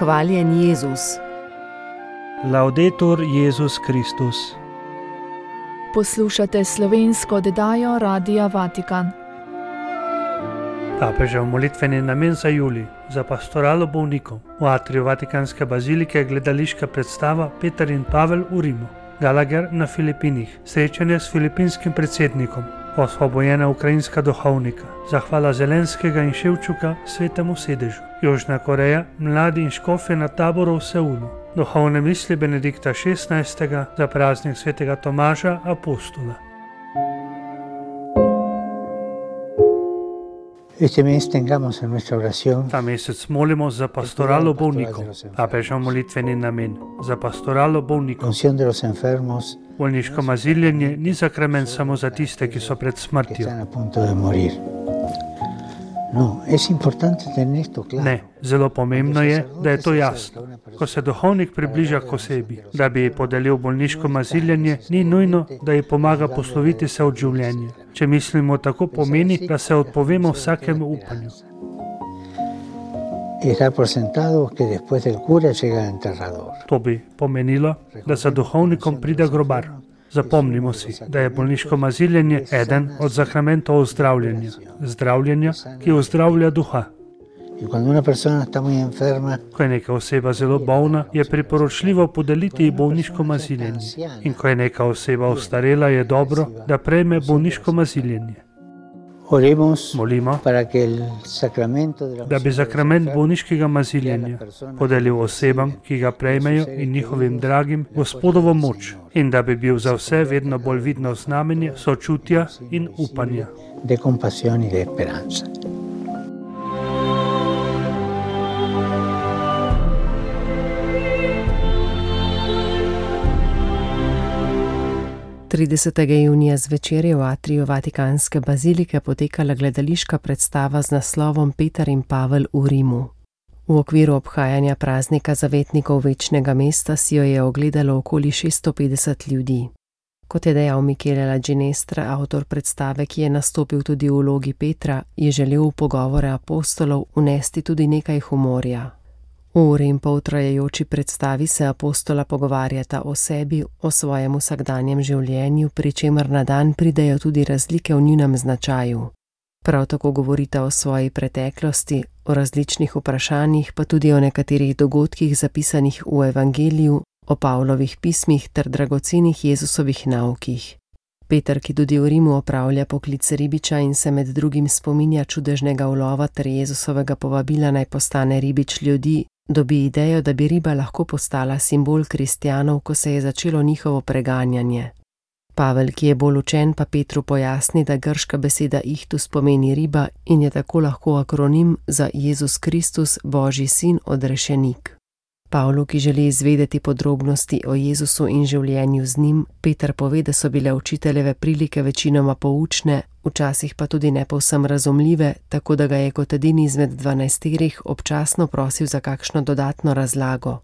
Hvaljen Jezus. Laudetur Jezus Kristus. Poslušate slovensko oddajo Radia Vatikan. Papežev molitveni namen za julij za pastoralo bolnikov. V atriju Vatikanske bazilike je gledališka predstava Peter in Pavel v Rimu. Gallagher na Filipinih, srečanje s filipinskim predsednikom, osvobojena ukrajinska duhovnika, zahvala Zelenskega in Ševčuka svetemu sedežu, Južna Koreja, mladi in škofje na taboru v Seulu, duhovne misli Benedikta XVI. Za praznik svetega Tomaža apostola. Ta mesec molimo za pastoralo bolnikov. Papežev molitveni namen za pastoralo bolnikov. Bolniško maziljenje ni sakrament samo za tiste, ki so pred smrtjo. Ne, zelo pomembno je, da je to jasno. Ko se duhovnik približa k osebi, da bi ji podelil bolniško maziljenje, ni nujno, da ji pomaga posloviti se od življenja. Če mislimo tako, pomeni, da se odpovemo vsakemu upanju. To bi pomenilo, da za duhovnikom pride grobar. Zapomnimo si, da je bolniško maziljenje eden od zakramentov zdravljenja, ki ozdravlja duha. Ko je neka oseba zelo bolna, je priporočljivo podeliti ji bolniško maziljenje. In ko je neka oseba ostarela, je dobro, da prejme bolniško maziljenje. Molimo, da bi sakrament bolniškega maziljenja podelil osebam, ki ga prejmejo, in njihovim dragim Gospodovo moč, in da bi bil za vse vedno bolj vidno znamenje sočutja in upanja. 30. junija zvečer je v atriju Vatikanske bazilike potekala gledališka predstava z naslovom Peter in Pavel v Rimu. V okviru obhajanja praznika zavetnikov večnega mesta si jo je ogledalo okoli 650 ljudi. Kot je dejal Michele Laginestra, avtor predstave, ki je nastopil tudi v vlogi Petra, je želel v pogovore apostolov vnesti tudi nekaj humorja. V uri in pol trajajoči predstavi se apostola pogovarjata o sebi, o svojem vsakdanjem življenju, pri čemer na dan pridejo tudi razlike v njunem značaju. Prav tako govorita o svoji preteklosti, o različnih vprašanjih, pa tudi o nekaterih dogodkih zapisanih v Evangeliju, o Pavlovih pismih ter dragocenih Jezusovih naukih. Peter, ki tudi v Rimu opravlja poklic ribiča in se med drugim spominja čudežnega ulova ter Jezusovega povabila naj postane ribič ljudi, dobi idejo, da bi riba lahko postala simbol kristjanov, ko se je začelo njihovo preganjanje. Pavel, ki je bolj učen, pa Petru pojasni, da grška beseda ihtus pomeni riba in je tako lahko akronim za Jezus Kristus, Božji sin, odrešenik. Pavlu, ki želi izvedeti podrobnosti o Jezusu in življenju z njim, Peter pove, da so bile učiteljeve prilike večinoma poučne, včasih pa tudi ne povsem razumljive, tako da ga je kot edini izmed 12 občasno prosil za kakšno dodatno razlago.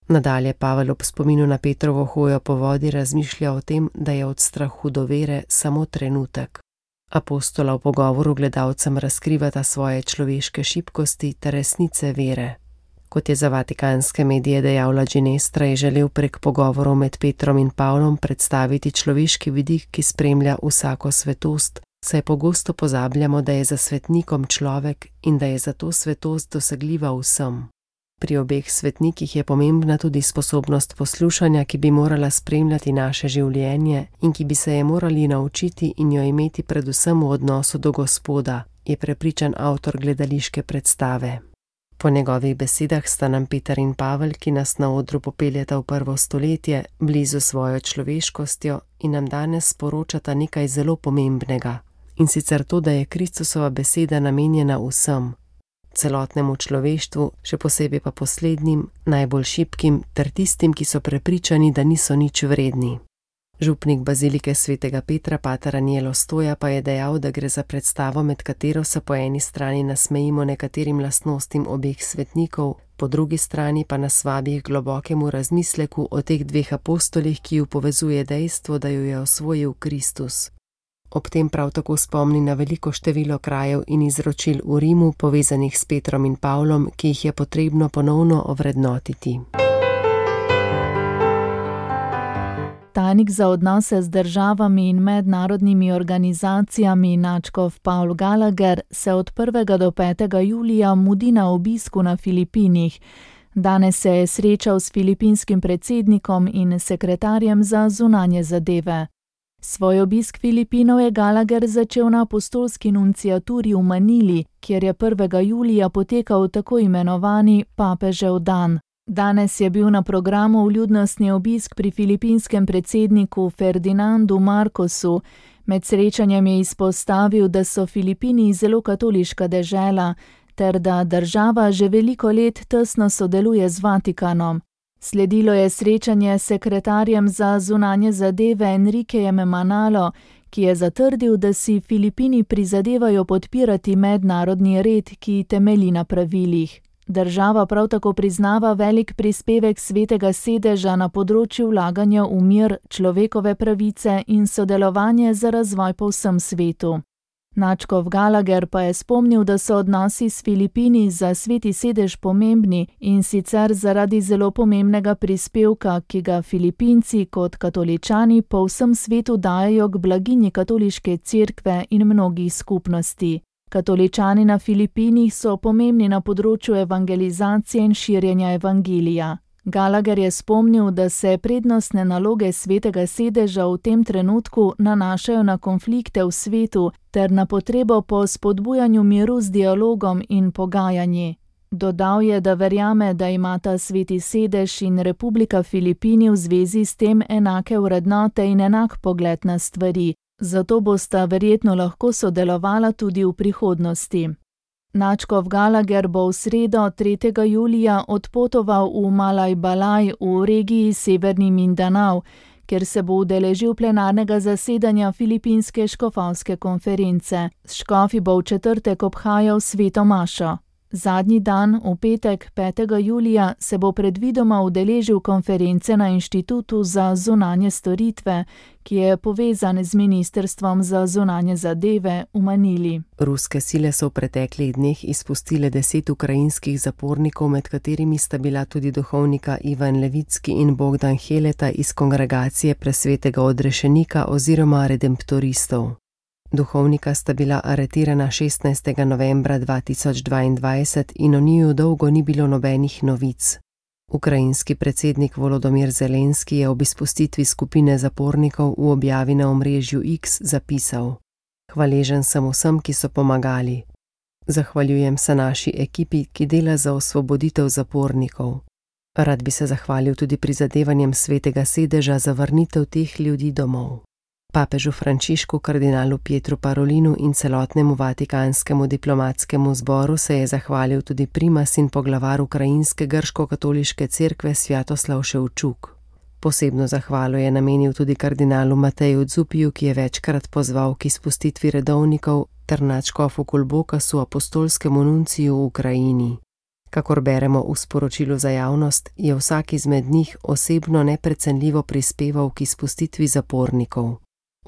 Nadalje Pavel ob spominu na Petrovo hojo po vodi razmišlja o tem, da je od strahu do vere samo trenutek. Apostola v pogovoru gledalcem razkrivata svoje človeške šibkosti ter resnice vere. Kot je za vatikanske medije dejal Laginestra, je želel prek pogovorov med Petrom in Pavlom predstaviti človeški vidik, ki spremlja vsako svetost, saj pogosto pozabljamo, da je za svetnikom človek in da je zato svetost dosegljiva vsem. Pri obeh svetnikih je pomembna tudi sposobnost poslušanja, ki bi morala spremljati naše življenje in ki bi se je morali naučiti in jo imeti predvsem v odnosu do Gospoda, je prepričan avtor gledališke predstave. Po njegovih besedah sta nam Peter in Pavel, ki nas na odru popeljata v prvo stoletje, blizu svojo človeškostjo in nam danes sporočata nekaj zelo pomembnega. In sicer to, da je Kristusova beseda namenjena vsem, celotnemu človeštvu, še posebej pa poslednjim, najbolj šibkim ter tistim, ki so prepričani, da niso nič vredni. Župnik bazilike svetega Petra, pater Anielo Stoja, pa je dejal, da gre za predstavo, med katero se po eni strani nasmejimo nekaterim lastnostim obeh svetnikov, po drugi strani pa nas vabi k globokemu razmisleku o teh dveh apostolih, ki ju povezuje dejstvo, da ju je osvojil Kristus. ob tem prav tako spomni na veliko število krajev in izročil v Rimu, povezanih s Petrom in Pavlom, ki jih je potrebno ponovno ovrednotiti. Tajnik za odnose z državami in mednarodnimi organizacijami nadškof Paul Gallagher se od 1. do 5. julija mudi na obisku na Filipinih. Danes se je srečal s filipinskim predsednikom in sekretarjem za zunanje zadeve. Svoj obisk Filipinov je Gallagher začel na apostolski nunciaturi v Manili, kjer je 1. julija potekal tako imenovani papežev dan. Danes je bil na programu vljudnostni obisk pri filipinskem predsedniku Ferdinandu Marcosu. Med srečanjem je izpostavil, da so Filipini zelo katoliška dežela, ter da država že veliko let tesno sodeluje z Vatikanom. Sledilo je srečanje s sekretarjem za zunanje zadeve Enriquejem Manalo, ki je zatrdil, da si Filipini prizadevajo podpirati mednarodni red, ki temelji na pravilih. Država prav tako priznava velik prispevek Svetega sedeža na področju vlaganja v mir, človekove pravice in sodelovanje za razvoj po vsem svetu. Nadškof Gallagher pa je spomnil, da so odnosi s Filipini za Sveti sedež pomembni in sicer zaradi zelo pomembnega prispevka, ki ga Filipinci kot katoličani po vsem svetu dajejo k blaginji katoliške cerkve in mnogih skupnosti. Katoličani na Filipinih so pomembni na področju evangelizacije in širjenja evangelija. Gallagher je spomnil, da se prednostne naloge Svetega sedeža v tem trenutku nanašajo na konflikte v svetu ter na potrebo po spodbujanju miru z dialogom in pogajanji. Dodal je, da verjame, da imata Sveti sedež in Republika Filipini v zvezi s tem enake vrednote in enak pogled na stvari, zato bosta verjetno lahko sodelovala tudi v prihodnosti. Nadškof Gallagher bo v sredo 3. julija odpotoval v Malaj-Balaj v regiji Severni Mindanao, kjer se bo udeležil plenarnega zasedanja Filipinske škofovske konference. S škofi bo v četrtek obhajal sveto mašo. Zadnji dan, v petek 5. julija, se bo predvidoma udeležil konference na Inštitutu za zunanje storitve, ki je povezan z Ministrstvom za zunanje zadeve v Manili. Ruske sile so v preteklih dneh izpustile 10 ukrajinskih zapornikov, med katerimi sta bila tudi duhovnika Ivan Levicki in Bogdan Heleta iz kongregacije Presvetega odrešenika oziroma redemptoristov. Duhovnika sta bila aretirana 16. novembra 2022 in o njiju dolgo ni bilo nobenih novic. Ukrajinski predsednik Volodymyr Zelenski je ob izpustitvi skupine zapornikov v objavi na omrežju X zapisal: "Hvaležen sem vsem, ki so pomagali. Zahvaljujem se naši ekipi, ki dela za osvoboditev zapornikov. Rad bi se zahvalil tudi prizadevanjem Svetega sedeža za vrnitev teh ljudi domov." Papežu Frančišku, kardinalu Pietru Parolinu in celotnemu vatikanskemu diplomatskemu zboru se je zahvalil tudi primas in poglavar ukrajinske grško-katoliške cerkve Svjatoslav Ševčuk. Posebno zahvalo je namenil tudi kardinalu Mateju Dzupiju, ki je večkrat pozval k izpustitvi redovnikov, ter nadškofu Kulbokasu, apostolskemu nunciju v Ukrajini. Kakor beremo v sporočilu za javnost, je vsak izmed njih osebno neprecenljivo prispeval k izpustitvi zapornikov.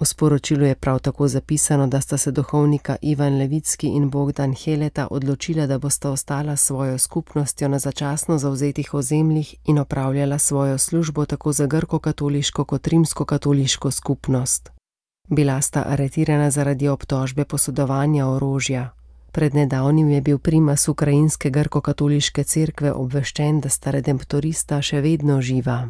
V sporočilu je prav tako zapisano, da sta se duhovnika Ivan Levicki in Bogdan Heleta odločila, da bosta ostala s svojo skupnostjo na začasno zavzetih ozemljih in opravljala svojo službo tako za grko-katoliško kot rimsko-katoliško skupnost. Bila sta aretirana zaradi obtožbe posodovanja orožja. Pred nedavnim je bil primas ukrajinske grko-katoliške cerkve obveščen, da sta redemptorista še vedno živa.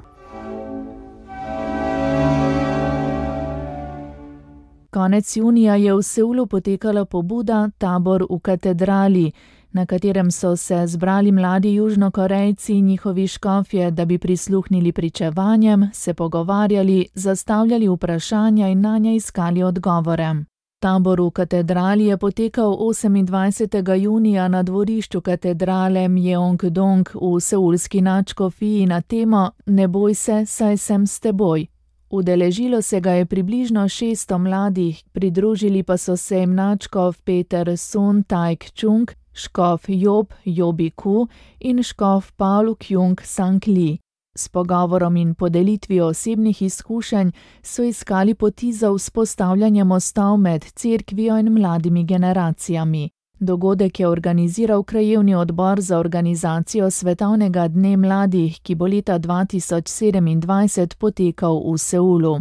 Konec junija je v Seulu potekala pobuda Tabor v katedrali, na katerem so se zbrali mladi Južnokorejci in njihovi škofje, da bi prisluhnili pričevanjem, se pogovarjali, zastavljali vprašanja in nanje iskali odgovore. Tabor v katedrali je potekal 28. junija na dvorišču katedrale Myeongdong v seulski nadškofiji na temo Ne boj se, saj sem s teboj. Udeležilo se ga je približno 600 mladih, pridružili pa so se jim nadškof Peter Sun Taek-chung, škof Job Jobi Ku in škof Paul Kyung Sang Li. S pogovorom in podelitvijo osebnih izkušenj so iskali poti za vzpostavljanje mostov med cerkvijo in mladimi generacijami. Dogodek je organiziral krajevni odbor za organizacijo Svetovnega dne mladih, ki bo leta 2027 potekal v Seulu.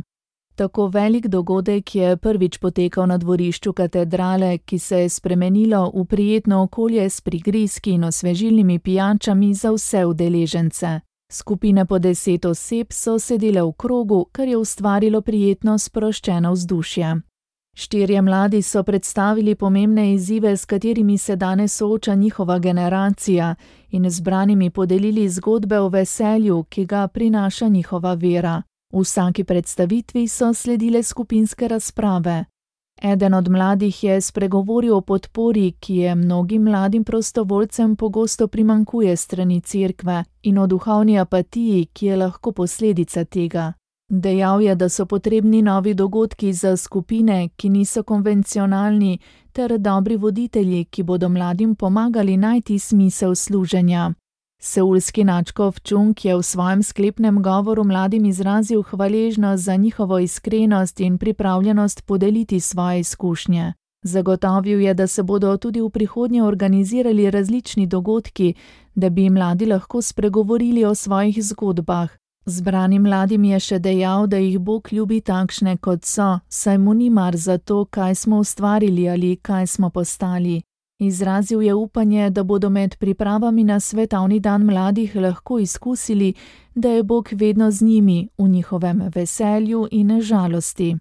Tako velik dogodek je prvič potekal na dvorišču katedrale, ki se je spremenilo v prijetno okolje s prigrizki in osvežilnimi pijačami za vse udeležence. Skupine po 10 oseb so sedele v krogu, kar je ustvarilo prijetno sproščeno vzdušje. 4 mladi so predstavili pomembne izzive, s katerimi se danes sooča njihova generacija, in zbranimi podelili zgodbe o veselju, ki ga prinaša njihova vera. V vsaki predstavitvi so sledile skupinske razprave. Eden od mladih je spregovoril o podpori, ki je mnogim mladim prostovoljcem pogosto primanjkuje strani cerkve, in o duhovni apatiji, ki je lahko posledica tega. Dejal je, da so potrebni novi dogodki za skupine, ki niso konvencionalni, ter dobri voditelji, ki bodo mladim pomagali najti smisel služenja. Seulski nadškof Chung je v svojem sklepnem govoru mladim izrazil hvaležnost za njihovo iskrenost in pripravljenost podeliti svoje izkušnje. Zagotovil je, da se bodo tudi v prihodnje organizirali različni dogodki, da bi mladi lahko spregovorili o svojih zgodbah. Zbranim mladim je še dejal, da jih Bog ljubi takšne, kot so, saj mu ni mar za to, kaj smo ustvarili ali kaj smo postali. Izrazil je upanje, da bodo med pripravami na Svetovni dan mladih lahko izkusili, da je Bog vedno z njimi v njihovem veselju in žalosti.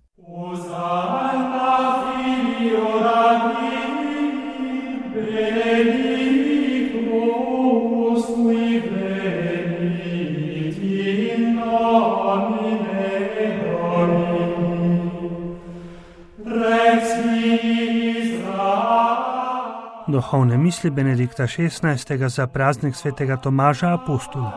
Duhovne misli Benedikta XVI. Za praznik svetega Tomaža Apostola.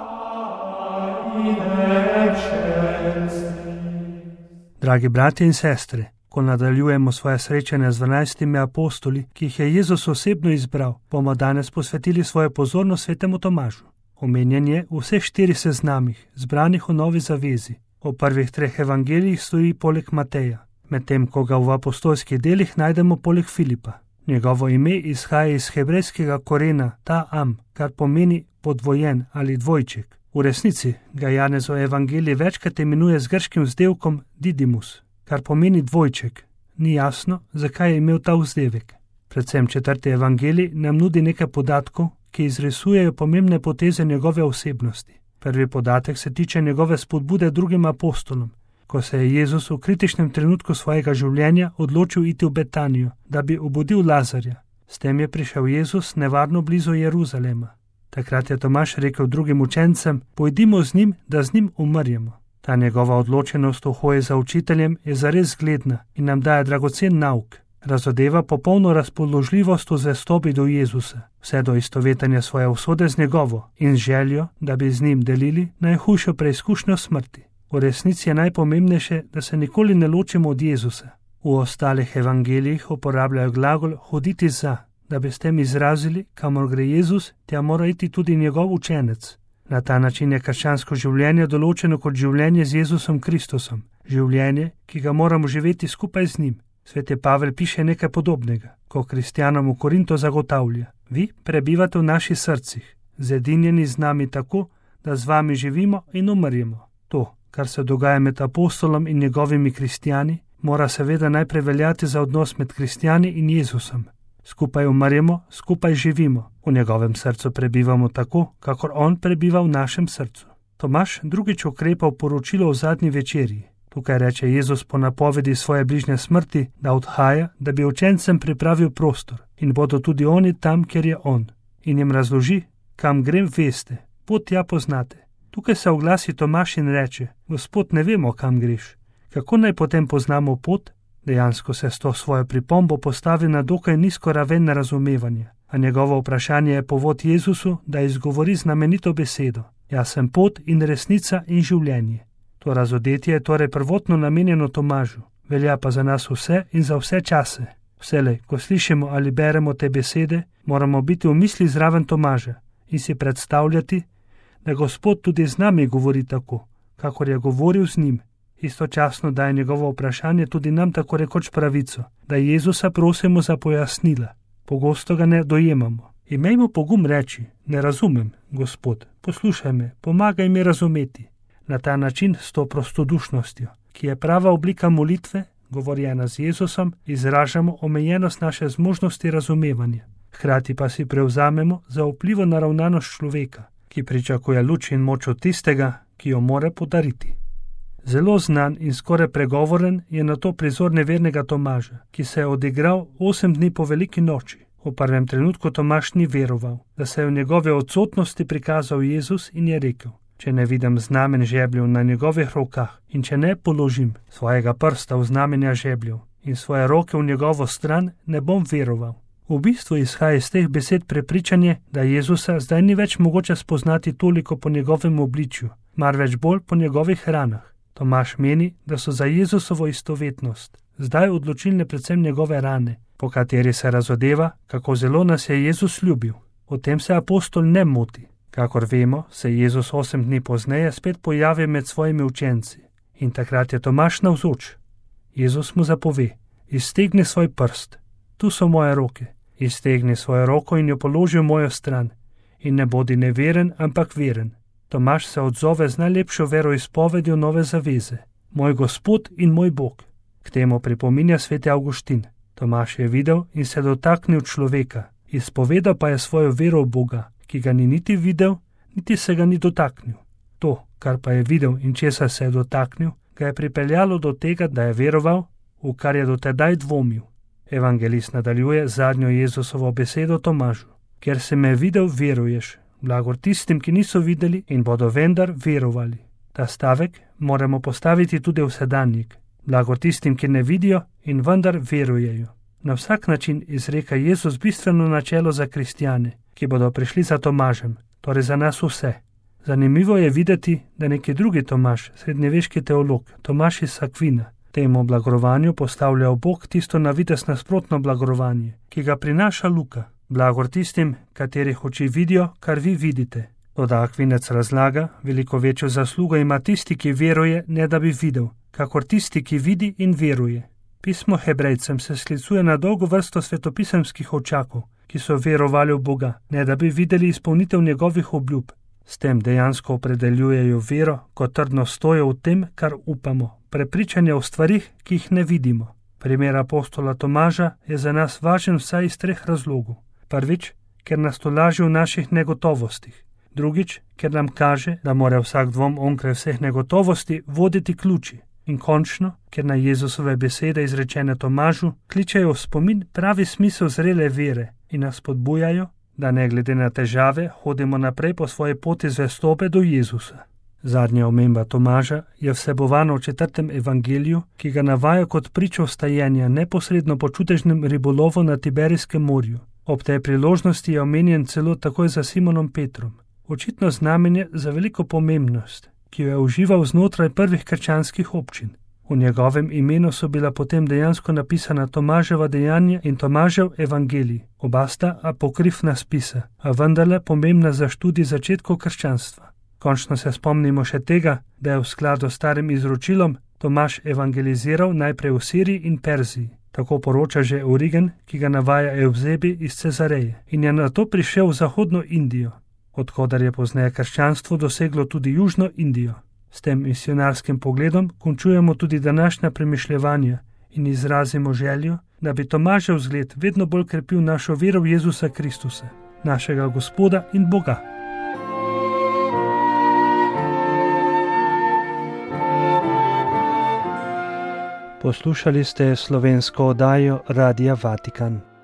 Dragi bratje in sestre, ko nadaljujemo svoje srečanje z 12 apostoli, ki jih je Jezus osebno izbral, bomo danes posvetili svojo pozornost svetemu Tomažu. Omenjen je v vseh 4 seznamih, zbranih v Novi zavezi. V prvih 3 evangelijih stoji poleg Mateja, medtem ko ga v apostolskih delih najdemo poleg Filipa. Njegovo ime izhaja iz hebrejskega korena ta-am, kar pomeni podvojen ali dvojček. V resnici ga Janezov evangelij večkrat imenuje z grškim vzdevkom Didymus, kar pomeni dvojček. Ni jasno, zakaj je imel ta vzdevek. Predvsem 4. evangelij nam nudi nekaj podatkov, ki izrisujejo pomembne poteze njegove osebnosti. Prvi podatek se tiče njegove spodbude drugim apostolom, ko se je Jezus v kritičnem trenutku svojega življenja odločil iti v Betanijo, da bi obudil Lazarja. S tem je prišel Jezus nevarno blizu Jeruzalema. Takrat je Tomaž rekel drugim učencem: pojdimo z njim, da z njim umrjemo. Ta njegova odločenost v hoji za učiteljem je zares zgledna in nam daje dragocen nauk. Razodeva popolno razpoložljivost v zvestobi do Jezusa, vse do istovetenja svoje usode z njegovo in željo, da bi z njim delili najhujšo preizkušnjo smrti. V resnici je najpomembnejše, da se nikoli ne ločimo od Jezusa. V ostalih evangelijih uporabljajo glagol hoditi za, da bi s tem izrazili, kamor gre Jezus, tja mora iti tudi njegov učenec. Na ta način je krščansko življenje določeno kot življenje z Jezusom Kristusom, življenje, ki ga moramo živeti skupaj z njim. Sveti Pavel piše nekaj podobnega, ko kristjanom v Korinto zagotavlja: vi prebivate v naših srcih, zedinjeni z nami tako, da z vami živimo in umrjemo. To, kar se dogaja med apostolom in njegovimi kristjani, mora seveda najprej veljati za odnos med kristjani in Jezusom. Skupaj umrjemo, skupaj živimo, v njegovem srcu prebivamo tako, kakor on prebiva v našem srcu. Tomaž drugič ukrepa v poročilo o zadnji večerji. Tukaj reče Jezus po napovedi svoje bližnje smrti, da odhaja, da bi učencem pripravil prostor in bodo tudi oni tam, kjer je on. In jim razloži: kam grem, veste, pot tja poznate. Tukaj se oglasi Tomaž in reče: Gospod, ne vemo, kam greš. Kako naj potem poznamo pot? Dejansko se s to svojo pripombo postavi na dokaj nizko raven razumevanja, a njegovo vprašanje je povod Jezusu, da izgovori znamenito besedo: jaz sem pot in resnica in življenje. To razodetje je torej prvotno namenjeno Tomažu, velja pa za nas vse in za vse čase. Vselej, ko slišimo ali beremo te besede, moramo biti v misli zraven Tomaža in si predstavljati, da Gospod tudi z nami govori tako, kakor je govoril z njim. Istočasno daje njegovo vprašanje tudi nam tako rekoč pravico, da Jezusa prosimo za pojasnila. Pogosto ga ne dojemamo. Imejmo pogum reči, ne razumem, Gospod, poslušaj me, pomagaj mi razumeti. Na ta način s to prostodušnostjo, ki je prava oblika molitve, govorjena z Jezusom, izražamo omejenost naše zmožnosti razumevanja. Hkrati pa si prevzamemo zaupljivo naravnanost človeka, ki pričakuje luč in moč od tistega, ki jo more podariti. Zelo znan in skoraj pregovoren je na to prizor nevernega Tomaža, ki se je odigral 8 dni po veliki noči. V prvem trenutku Tomaž ni veroval, da se je v njegove odsotnosti prikazal Jezus in je rekel: če ne vidim znamen žebljev na njegovih rokah in če ne položim svojega prsta v znamenja žebljev in svoje roke v njegovo stran, ne bom veroval. V bistvu izhaja iz teh besed prepričanje, da Jezusa zdaj ni več mogoče spoznati toliko po njegovem obličju, marveč bolj po njegovih ranah. Tomaž meni, da so za Jezusovo istovetnost zdaj odločilne predvsem njegove rane, po kateri se razodeva, kako zelo nas je Jezus ljubil. O tem se apostol ne moti. Kakor vemo, se Jezus 8 dni pozneje spet pojavi med svojimi učenci in takrat je Tomaž navzoč. Jezus mu zapove: iztegni svoj prst, tu so moje roke, iztegni svojo roko in jo položi v mojo stran in ne bodi neveren, ampak veren. Tomaž se odzove z najlepšo veroizpovedjo nove zaveze: moj Gospod in moj Bog. K temu pripominja sveti Avguštin. Tomaž je videl in se dotaknil človeka, izpovedal pa je svojo vero v Boga, ki ga ni niti videl, niti se ga ni dotaknil. To, kar pa je videl in česa se je dotaknil, ga je pripeljalo do tega, da je veroval, v kar je dotedaj dvomil. Evangelist nadaljuje zadnjo Jezusovo besedo Tomažu: ker se me videl, veruješ, blagor tistim, ki niso videli in bodo vendar verovali. Ta stavek moramo postaviti tudi v sedanjik. Blagor tistim, ki ne vidijo in vendar verujejo. Na vsak način izreka Jezus bistveno načelo za kristjane, ki bodo prišli za Tomažem, torej za nas vse. Zanimivo je videti, da neki drugi Tomaž, srednjeveški teolog, Tomaž iz Akvina, temu blagorovanju postavlja v bok tisto na videz nasprotno blagorovanje, ki ga prinaša Luka. Blagor tistim, katerih oči vidijo, kar vi vidite. Toda Akvinec razlaga, veliko večjo zaslugo ima tisti, ki veruje, ne da bi videl, kakor tisti, ki vidi in veruje. Pismo Hebrejcem se sklicuje na dolgo vrsto svetopisemskih očakov, ki so verovali v Boga, ne da bi videli izpolnitev njegovih obljub. S tem dejansko opredeljujejo vero kot trdno stojo v tem, kar upamo, prepričanje o stvarih, ki jih ne vidimo. Primer apostola Tomaža je za nas važen vsaj iz 3 razlogov. Prvič, ker nas tolaži v naših negotovostih. Drugič, ker nam kaže, da mora vsak dvom onkraj vseh negotovosti voditi k luči. In končno, ker na Jezusove besede izrečene Tomažu kličejo v spomin pravi smisel zrele vere in nas spodbujajo, da ne glede na težave hodimo naprej po svoji poti zvestobe do Jezusa. Zadnja omemba Tomaža je vsebovana v 4. evangeliju, ki ga navaja kot pričo vstajenja neposredno po čudežnem ribolovu na Tiberijskem morju. Ob tej priložnosti je omenjen celo takoj za Simonom Petrom. Očitno znamenje za veliko pomembnost, ki jo je užival znotraj prvih krščanskih občin. V njegovem imenu so bila potem dejansko napisana Tomaževa dejanja in Tomažev evangelij. Oba sta apokrifna spisa, a vendarle pomembna za študij začetkov krščanstva. Končno se spomnimo še tega, da je v skladu s starim izročilom Tomaž evangeliziral najprej v Siriji in Perziji. Tako poroča že Origen, ki ga navaja Evzebi iz Cezareje, in je nato prišel v zahodno Indijo, odkudar je pozneje krščanstvo doseglo tudi južno Indijo. S tem misionarskim pogledom končujemo tudi današnja premišljevanja in izrazimo željo, da bi Tomažev zgled vedno bolj krepil našo vero v Jezusa Kristusa, našega Gospoda in Boga. Poslušali ste slovensko oddajo Radia Vatikan.